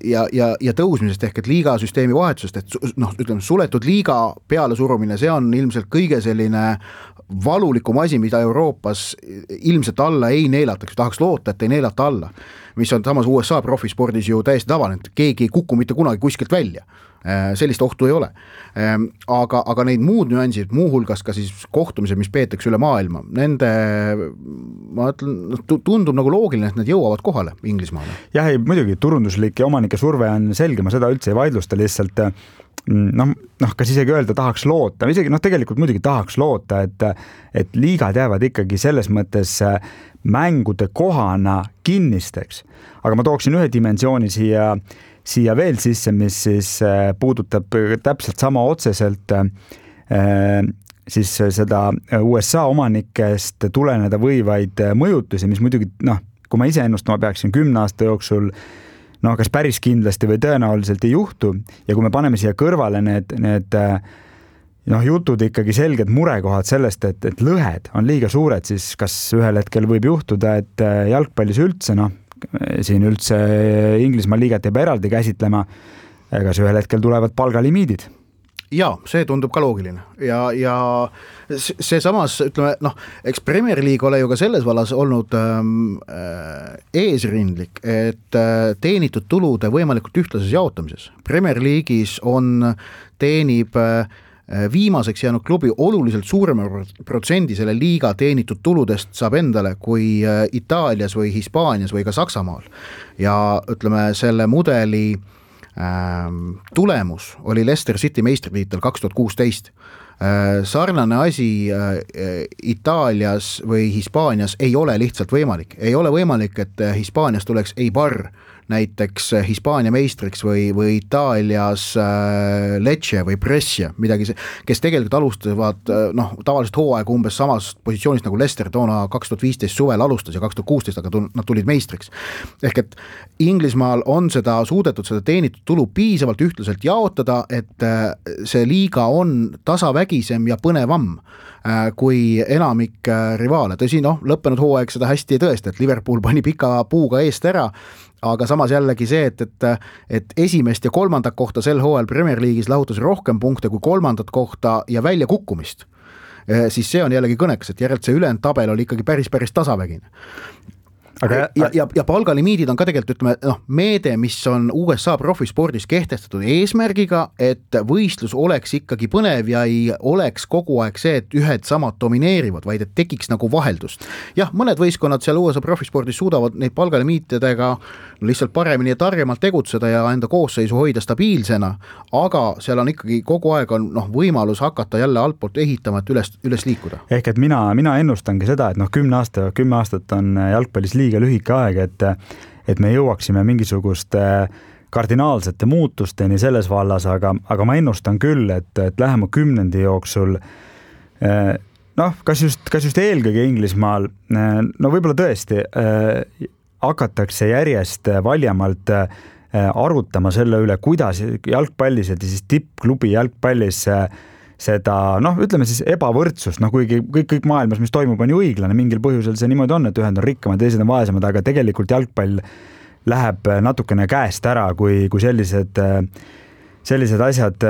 ja, ja, ja tõusmisest ehk et liigasüsteemi vahetusest, et noh, ütleme, suletud liiga peale surumine, see on ilmselt kõige selline valulikum asi, mida Euroopas ilmselt alla ei neelataks, tahaks loota, et ei neelata alla, mis on samas U S A profispordis ju täiesti tavaline, et keegi ei kuku mitte kunagi kuskilt välja. Sellist ohtu ei ole. Aga, aga neid muud nüansid, muuhulgas ka siis kohtumised, mis peetakse üle maailma, nende ma ütlen, tundub nagu loogiline, et need jõuavad kohale Inglismaale. Jah, ei, muidugi turunduslik ja omanike surve on selge, ma seda üldse ei vaidlusta, lihtsalt noh, noh, kas isegi öelda tahaks loota, isegi noh, tegelikult muidugi tahaks loota, et, et liigad jäävad ikkagi selles mõttes mängude kohana kinnisteks, aga ma tooksin ühe dimensiooni siia siia veel sisse, mis siis puudutab täpselt sama otseselt siis seda U S A omanikest tuleneda võivaid mõjutusi, mis muidugi, noh, kui ma ise ennustama peaksin kümne aasta jooksul, no kas päris kindlasti või tõenäoliselt ei juhtu ja kui me paneme siia kõrvale need, need noh, jutud ikkagi selged murekohad sellest, et, et lõhed on liiga suured, siis kas ühel hetkel võib juhtuda, et jalgpallis üldse, noh, siin üldse Inglismaa liigat jääb eraldi käsitlema, ega see ühel hetkel tulevad palgalimiidid. Jaa, see tundub ka loogiline ja, ja see samas, ütleme, noh, eks Premier League ole ju ka selles vallas olnud ähm, eesrindlik, et äh, teenitud tulude võimalikult ühtlases jaotamises. Premier League'is on, teenib äh, viimaseks jäänud klubi oluliselt suurema protsendi selle liiga teenitud tuludest saab endale kui Itaalias või Hispaanias või ka Saksamaal. Ja ütleme, selle mudeli ähm, tulemus oli Leicester City meistritiitel kaks tuhat kuusteist. Äh, sarnane asi äh, Itaalias või Hispaanias ei ole lihtsalt võimalik. Ei ole võimalik, et Hispaanias tuleks Eibar näiteks Hispaania meistriks või, või Itaalias äh, Lecce või Brescia, midagi, kes tegelikult alustavad noh, tavaliselt hooaeg umbes samast positsioonist nagu Leicester toona kaks tuhat viisteist suvel alustas ja kaks tuhat kuusteist, aga nad tulid meistriks. Ehk et Inglismaal on seda suudetud seda teenitud tulu piisavalt ühtlaselt jaotada, et äh, see liiga on tasavägisem ja põnevam äh, kui enamik äh, rivaale. Tõsi, noh, lõppenud hooaeg seda hästi ei tõesta, et Liverpool pani pika puuga eest ära, aga samas jällegi see, et, et, et esimest ja kolmandat kohta sel hooajal Premier League'is lahutas rohkem punkte kui kolmandat kohta ja välja kukkumist, siis see on jällegi kõnekas, et järelt see ülejäänud tabel oli ikkagi päris, päris tasavägine. Aga, ja, ja, ja palgalimiidid on ka tegelikult, ütleme, noh, meede, mis on U S A profispordis kehtestatud eesmärgiga, et võistlus oleks ikkagi põnev ja ei oleks kogu aeg see, et ühed samad domineerivad, vaid et tekiks nagu vaheldust. Jah, mõned võistkonnad seal U S A profispordis suudavad neid palgalimiitidega lihtsalt paremini ja targemalt tegutseda ja enda koosseisu hoida stabiilsena, aga seal on ikkagi kogu aeg on noh, võimalus hakata jälle altpoolt ehitama, et üles, üles liikuda. Ehk et mina, mina ennustangi seda, et noh, kümne aasta, kümme aastat on jalgpallis liiga lühike aeg, et, et me jõuaksime mingisuguste kardinaalsete muutusteni selles vallas, aga, aga ma ennustan küll, et, et lähema kümnendi jooksul noh, kas just, kas just eelkõige Inglismaal, no võib-olla tõesti hakatakse järjest valjamalt arutama selle üle, kuidas jalgpallis ja siis tippklubi jalgpallis seda, noh, ütleme siis ebavõrdsust, noh, kuigi kõik, kõik maailmas, mis toimub, on ju õiglane, mingil põhjusel see niimoodi on, et ühed on rikkamad, teised on vaesemad, aga tegelikult jalgpall läheb natukene käest ära, kui, kui sellised sellised asjad,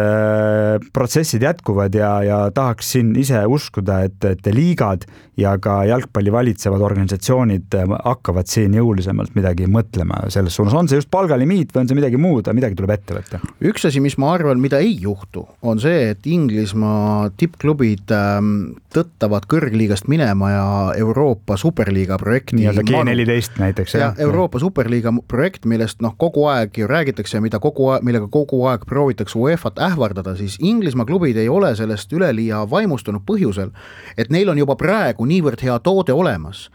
protsessid jätkuvad ja, ja tahaks siin ise uskuda, et, et liigad ja ka jalgpalli valitsevad organisatsioonid hakkavad siin jõulisemalt midagi mõtlema selles suunas. On see just palgalimiit või on see midagi muud, midagi tuleb ette võtta? Üks asi, mis ma arvan, mida ei juhtu, on see, et Inglismaa tippklubid tõttavad kõrgliigast minema ja Euroopa Superliiga projekti. Nii-öelda G neliteist näiteks. Ja Euroopa Superliiga projekt, millest noh, kogu aeg ju räägitakse ja mida kogu aeg, millega kogu aeg proovitakse UEFA-t ähvardada, siis Inglismaa klubid ei ole sellest üleliia vaimustunud põhjusel, et neil on juba praegu niivõrd hea toode olemas,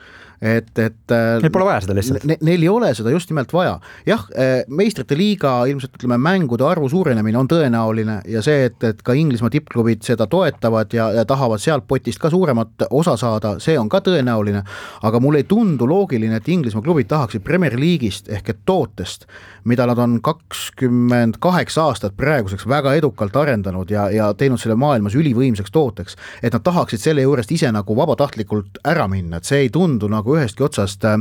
et, et neil pole vaja seda lihtsalt. Ne, neil ei ole seda just nimelt vaja. Jah, meistrite liiga ilmselt ütleme, mängude arvu suurenemine on tõenäoline ja see, et, et ka Inglismaa tippklubid seda toetavad ja, ja tahavad sealt potist ka suuremat osa saada, see on ka tõenäoline, aga mulle ei tundu loogiline, et Inglismaa klubid tahaksid Premier League'ist ehk et tootest, mida nad on kakskümmend kaheksa aastat praeguseks väga edukalt arendanud ja, ja teinud selle maailmas ülivõimsaks tooteks, et nad tahaksid selle juurest ise nagu vabatahtlikult ära minna, et see ei tundu nagu ühestki otsast äh,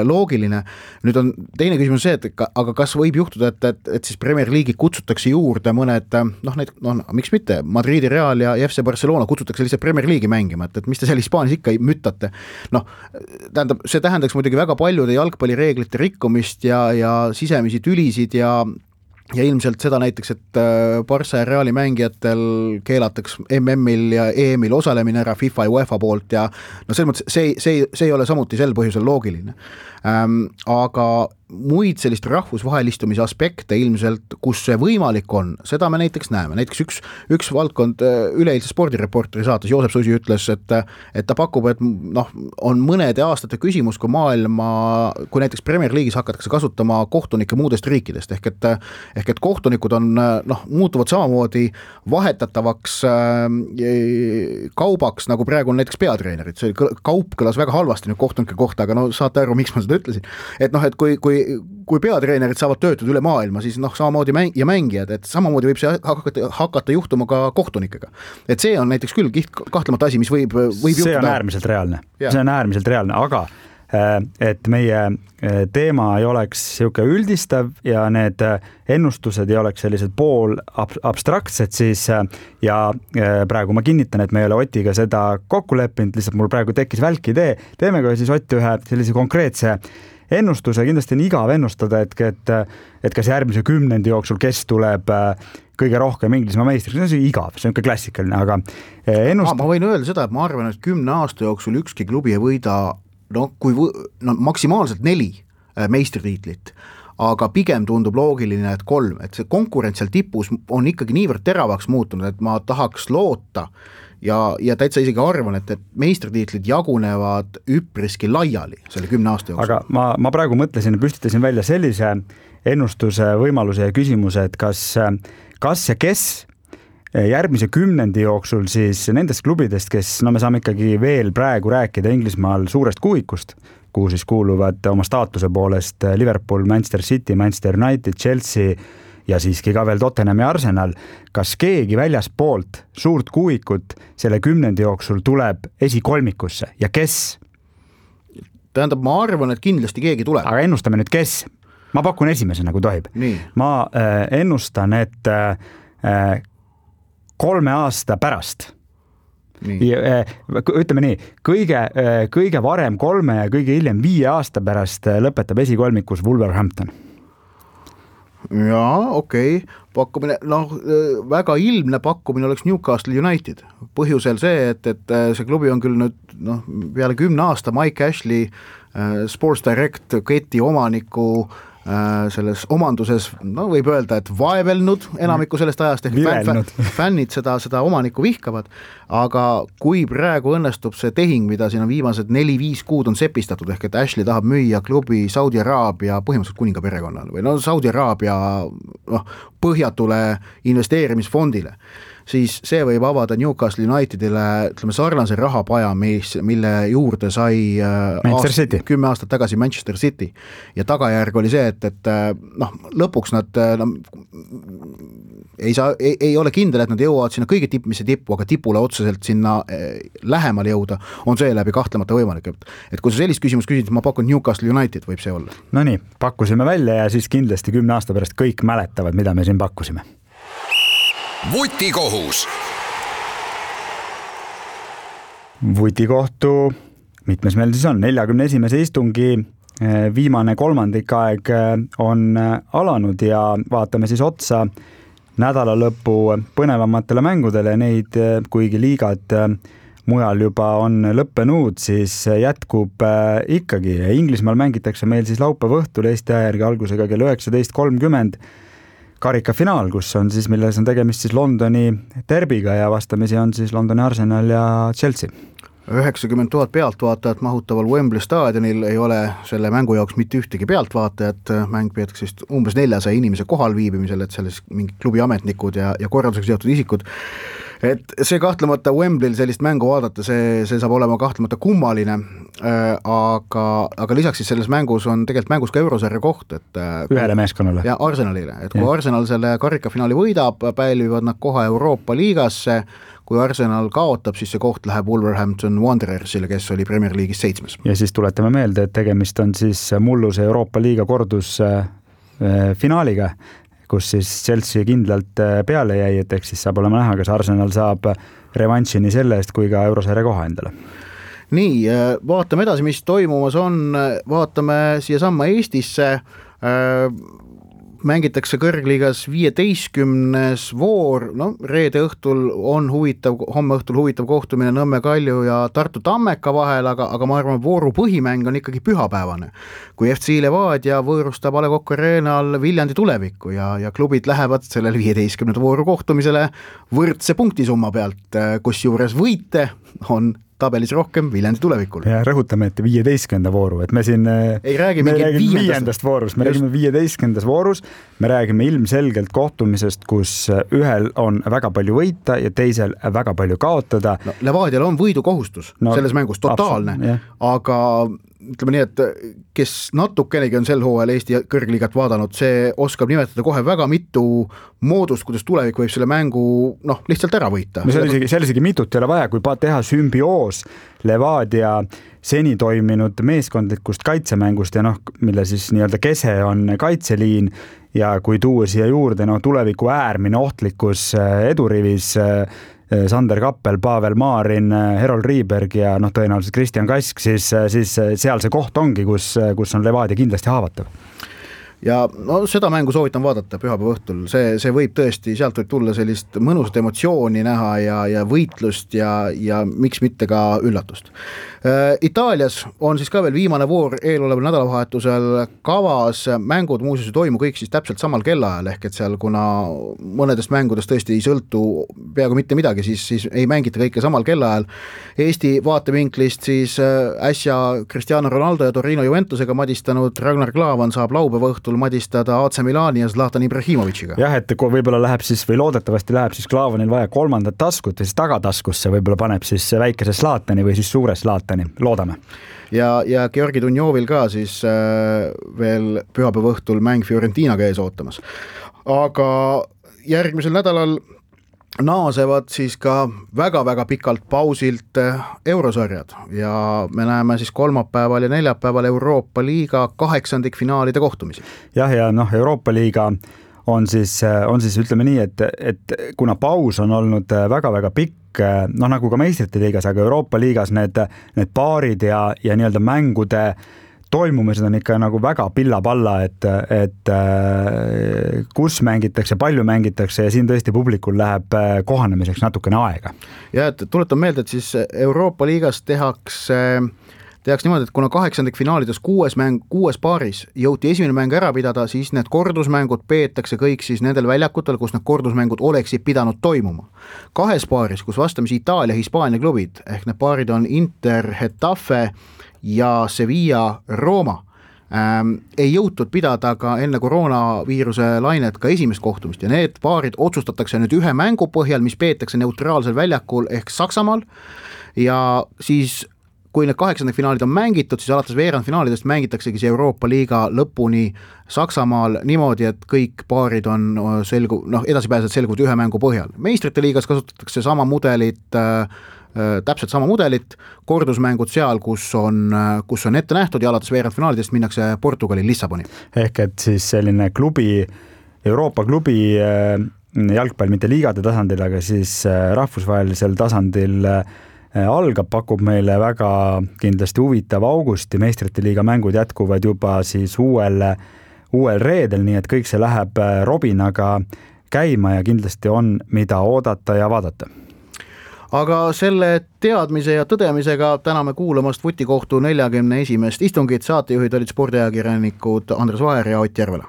loogiline. Nüüd on teine küsimus see, et ka, aga kas võib juhtuda, et, et, et siis Premier League'i kutsutakse juurde mõned, noh, need, no, miks mitte, Madridi Real ja F C Barcelona kutsutakse lihtsalt Premier League'i mängima, et, et mis te seal Hispaanias ikka ei mütate. Noh, tähendab, see tähendaks muidugi väga paljude jalgpallireeglite rikkumist ja, ja sisemisi tülisid ja ja ilmselt seda näiteks, et Barca ja Reali mängijatel keelataks M M-il ja E M-il osalemine ära FIFA ja UEFA poolt ja no selles mõttes see, see, see ei ole samuti sel põhjusel loogiline. Ähm, aga muid sellist rahvusvahelistumise aspekte ilmselt, kus see võimalik on, seda me näiteks näeme. Näiteks üks, üks valdkond üleeilse spordireporteri saates Joosep Susi ütles, et, et ta pakub, et noh, on mõnede aastate küsimus, kui maailma, kui näiteks Premier League'is hakatakse kasutama kohtunikke muudest riikidest, ehk et, ehk et kohtunikud on, noh, muutuvad samamoodi vahetatavaks kaubaks, nagu praegu on näiteks peatreenerid. See kaup kõlas väga halvasti nüüd kohtunike kohta, aga no saate aru, miks ma seda ütlesin. Et noh, et kui, kui kui peatreenerid saavad töötada üle maailma, siis noh, samamoodi mäng- ja mängijad, et samamoodi võib see hakata, hakata juhtuma ka kohtunikega. Et see on näiteks küll kiht, kahtlemata asi, mis võib, võib see juhtuda. See on äärmiselt reaalne. Ja. See on äärmiselt reaalne, aga et meie teema ei oleks siuke üldistav ja need ennustused ei oleks sellised pool abstraktsed, siis ja praegu ma kinnitan, et me ei ole Otiga seda kokku leppinud, lihtsalt mul praegu tekkis välk idee, teeme ka siis Ott ühe sellise konkreetse ennustuse, kindlasti on igav ennustada, et, et, et kas järgmise kümnendi jooksul, kes tuleb kõige rohkem Inglismaa meistriks, see on igav, see on ka klassikaline, aga ennust... Ma võin öelda seda, et ma arvan, et kümne aasta jooksul ükski klubi ei võida no, kui võ... no, maksimaalselt neli meistritiitlit, aga pigem tundub loogiline, et kolm, et see konkurents seal tipus on ikkagi niivõrd teravaks muutunud, et ma tahaks loota ja, ja täitsa isegi arvan, et, et meistritiitlid jagunevad üpriski laiali selle kümne aasta jooksul. Aga ma, ma praegu mõtlesin ja püstitasin välja sellise ennustuse võimaluse ja küsimuse, et kas, kas ja kes järgmise kümnendi jooksul siis nendest klubidest, kes, no me saame ikkagi veel praegu rääkida Inglismaal suurest kuuikust, kuhu siis kuuluvad oma staatuse poolest Liverpool, Manchester City, Manchester United, Chelsea ja siiski ka veel Tottenham ja Arsenal. Kas keegi väljaspoolt suurt kuuikut selle kümnendi jooksul tuleb esikolmikusse ja kes? Tähendab, ma arvan, et kindlasti keegi tuleb. Aga ennustame nüüd kes? Ma pakun esimesena, kui tohib. Nii. Ma äh, ennustan, et äh, kolme aasta pärast. Ja, ütleme nii, kõige, kõige varem kolme ja kõige hiljem viie aasta pärast lõpetab esikolmikus Wolverhampton. Jaa, okei. Okay. Pakkumine, noh, väga ilmne pakkumine oleks Newcastle United. Põhjusel see, et, et see klubi on küll nüüd noh, peale kümne aasta Mike Ashley Sports Direct keti omaniku selles omanduses, no võib öelda, et vaevelnud enamiku sellest ajast, ehk fänn, fännid seda, seda omanikku vihkavad, aga kui praegu õnnestub see tehing, mida siin on viimased neli-viis kuud on sepistatud, ehk et Ashley tahab müüa klubi Saudi Araabia põhimõtteliselt kuninga perekonnale või no Saudi Araabia noh, põhjatule investeerimisfondile, siis see võib avada Newcastle Unitedile ütleme sarnase rahapaja, mis, mille juurde sai aast, kümme aastat tagasi Manchester City ja tagajärg oli see, et, et noh, lõpuks nad no, ei, saa, ei, ei ole kindel, et nad jõuavad sinna kõige tippmise tippu, aga tipule otseselt sinna lähemale jõuda on seeläbi kahtlemata võimalik. Et kui sa sellist küsimus küsid, ma pakun Newcastle United võib see olla. No nii, pakkusime välja ja siis kindlasti kümne aasta pärast kõik mäletavad, mida me siin pakkusime. Vutikohus. Vutikohtu, mitmes meil siis on, neljakümne esimese istungi viimane kolmandik aeg on alanud ja vaatame siis otsa nädala lõpu põnevamatele mängudele, neid kuigi liigad mujal juba on lõppenud, siis jätkub ikkagi. Inglismaal mängitakse meil siis laupäeva õhtul Eesti aja järgi algusega kell üheksateist kolmkümmend karikafinaal, kus on siis, milles on tegemist siis Londoni derbiga ja vastamisi on siis Londoni Arsenal ja Chelsea. üheksakümmend tuhat pealtvaatajat mahutaval Wembley staadionil ei ole selle mängu jaoks mitte ühtegi pealtvaatajat, mäng peetakse vist umbes neljasaja inimese kohal viibimisel, et selles mingi klubi ametnikud ja, ja korraldusega seotud isikud. Et see kahtlemata Wembley'l sellist mängu vaadata, see, see saab olema kahtlemata kummaline, aga, aga lisaks siis selles mängus on tegelikult mängus ka eurosarja koht, et ühele meeskonnale. Ja Arsenalile, et kui ja. Arsenal selle karikafinaali võidab, pälvivad nad kohe Euroopa liigasse, kui Arsenal kaotab, siis see koht läheb Wolverhampton Wanderersile, kes oli Premier League'is seitsmes. Ja siis tuletame meelde, et tegemist on siis mulluse Euroopa liiga kordus finaaliga, kus siis Chelsea kindlalt peale jäi, et eks siis saab olema näha, kas Arsenal saab revanši nii selle eest kui ka eurosarja koha endale. Nii, vaatame edasi, mis toimumas on, vaatame siia samma Eestisse, mängitakse kõrgliigas viieteistkümnes voor, no reede õhtul on huvitav, homme õhtul huvitav kohtumine Nõmme Kalju ja Tartu Tammeka vahel, aga, aga ma arvan, vooru põhimäng on ikkagi pühapäevane, kui F C Levadia võõrustab A Le Coq Arenal Viljandi Tulevikku ja, ja klubid lähevad sellel viieteistkümnenda vooru kohtumisele võrdse punktisumma pealt, kus juures võite on tabelis rohkem Viljandi Tulevikul. Ja rõhutame, et viieteistkümnenda vooru, et me siin ei räägi me räägime viiendast, viiendast voorus, me räägime viieteistkümnendas voorus, me räägime ilmselgelt kohtumisest, kus ühel on väga palju võita ja teisel väga palju kaotada. No, Levadial on võidukohustus no, selles mängus, totaalne, aga ütleme nii, et kes natukenegi on sel hooajal Eesti kõrgliigat vaadanud, see oskab nimetada kohe väga mitu moodust, kuidas Tulevik võib selle mängu noh, lihtsalt ära võita. No see oli isegi, see oli isegi mitut ei ole vaja, kui teha sümbioos Levadia seni toiminud meeskondlikust kaitsemängust ja noh, mille siis nii-öelda kese on kaitseliin ja kui tuua siia juurde no, Tuleviku äärmine ohtlikkus edurivis Sander Kappel, Pavel Maarin, Herold Riiberg ja noh, tõenäoliselt Kristjan Kask, siis, siis seal see koht ongi, kus, kus on Levadia kindlasti haavatav. Ja no, seda mängu soovitan vaadata pühapäeva õhtul, see, see võib tõesti, sealt võib tulla sellist mõnusat emotsiooni näha ja, ja võitlust ja, ja miks mitte ka üllatust. Itaalias on siis ka veel viimane voor eeloleval nädalavahetusel kavas, mängud muuseas toimu kõik siis täpselt samal kellaajal, ehk et seal kuna mõnedest mängudest tõesti ei sõltu peaaegu mitte midagi, siis, siis ei mängita kõike samal kellaajal. Eesti vaatevinklist siis äsja Cristiano Ronaldo ja Torino Juventusega madistanud Ragnar Klavan saab laupäeva õhtul madistada A C Milani ja Zlatan Ibrahimovitšiga. Jah, et kui võib-olla läheb siis või loodetavasti läheb siis Klavanil vaja kolmandat taskut või siis tagataskusse võib-olla paneb siis väikese Zlatani või siis suure Zlatani, loodame. Ja, ja Georgi Dunjovil ka siis äh, veel pühapäeva õhtul mäng Fiorentinaga ees ootamas. Aga järgmisel nädalal naasevad siis ka väga-väga pikalt pausilt eurosarjad ja me näeme siis kolmapäeval ja neljapäeval Euroopa liiga kaheksandikfinaalide kohtumisi. Jah, ja noh, Euroopa liiga on siis, on siis ütleme nii, et, et kuna paus on olnud väga-väga pikk, noh nagu ka meistrite liigas, aga Euroopa liigas need, need paarid ja, ja nii-öelda mängude toimumised on ikka nagu väga pilla-palla, et, et kus mängitakse, palju mängitakse ja siin tõesti publikul läheb kohanemiseks natukene aega. Ja et tuletan meelde, et siis Euroopa liigas tehakse, tehakse niimoodi, et kuna kaheksandikfinaalides kuues, mäng, kuues paaris jõuti esimene mäng ära pidada, siis need kordusmängud peetakse kõik siis nendel väljakutel, kus need kordusmängud oleksid pidanud toimuma. Kahes paaris, kus vastamisi Itaalia, Hispaania klubid, ehk need paarid on Inter, Hetafe ja Sevilla, Rooma, ähm, ei jõutud pidada ka enne koroonaviiruse lainet ka esimest kohtumist ja need paarid otsustatakse nüüd ühe mängu põhjal, mis peetakse neutraalsel väljakul ehk Saksamaal ja siis kui need kaheksandikfinaalid on mängitud, siis alates veerandfinaalidest mängitaksegi see Euroopa liiga lõpuni Saksamaal niimoodi, et kõik paarid on selgu, noh, edasipääsed selguvad ühe mängu põhjal. Meistrite liigas kasutatakse sama mudelit, äh, täpselt sama mudelit, kordusmängud seal, kus on, kus on ette nähtud ja alates veerandfinaalidest minnakse Portugali Lissaboni. Ehk et siis selline klubi, Euroopa klubi äh, jalgpall mitte liigade tasandil, aga siis äh, rahvusvahelisel tasandil äh, algab, pakub meile väga kindlasti huvitav augusti, meistrite liiga mängud jätkuvad juba siis uuel, uuel reedel, nii et kõik see läheb robinaga käima ja kindlasti on mida oodata ja vaadata. Aga selle teadmise ja tõdemisega täname kuulamast Vutikohtu neljakümne esimest istungit, saatejuhid olid spordiajakirjanikud Andres Vaher ja Ott Järvela.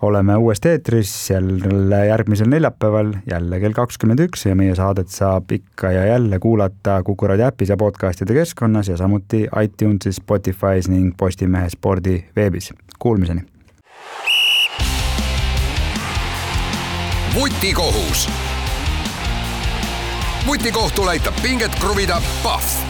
Oleme uuesti eetris jälle järgmisel neljapäeval, jälle kell kakskümmend üks ja meie saadet saab ikka ja jälle kuulata Kuku Raadio äpis ja podcastide keskkonnas ja samuti iTunesis, Spotify's ning Postimehe spordi veebis. Kuulmiseni! Vutikohus. Vutikohtul aitab pinget kruvida Pahv.